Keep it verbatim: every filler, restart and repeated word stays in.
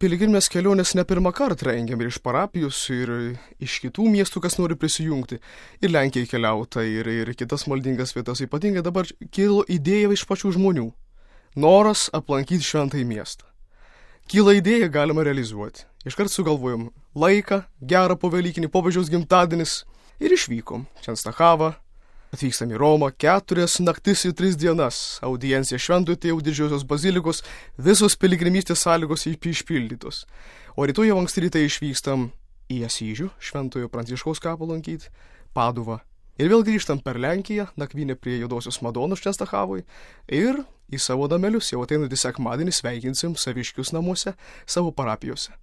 piligrimės kelionės ne pirmą kartą rengiam ir iš parapijos, ir iš kitų miestų, kas nori prisijungti. Ir Lenkijai keliauta, ir, ir kitas maldingas vietas. Ypatingai dabar kilo idėja iš pačių žmonių. Noras aplankyti šventąjį miestą. Kyla idėja, galima realizuoti. Iškart sugalvojom laiką, gerą povelykinį, popiežiaus gimtadienis ir išvykom. Čenstachavą, atvykstam į Romą, keturias naktis ir tris dienas. Audiencija Šventojo Tėvo Didžiosios bazilikos, visos piligrimystės sąlygos išpildytos. O rytoj jau anksti rytai išvykstam į Asyžių, Šventojo Pranciškaus kapą lankyti, Paduvą. Ir vėl grįžtam per Lenkiją, nakvynę prie Juodosios Madonos Čenstachavoj ir į savo namelius jau ateinantį sekmadienį sveikinsim saviškius namuose savo parapijose.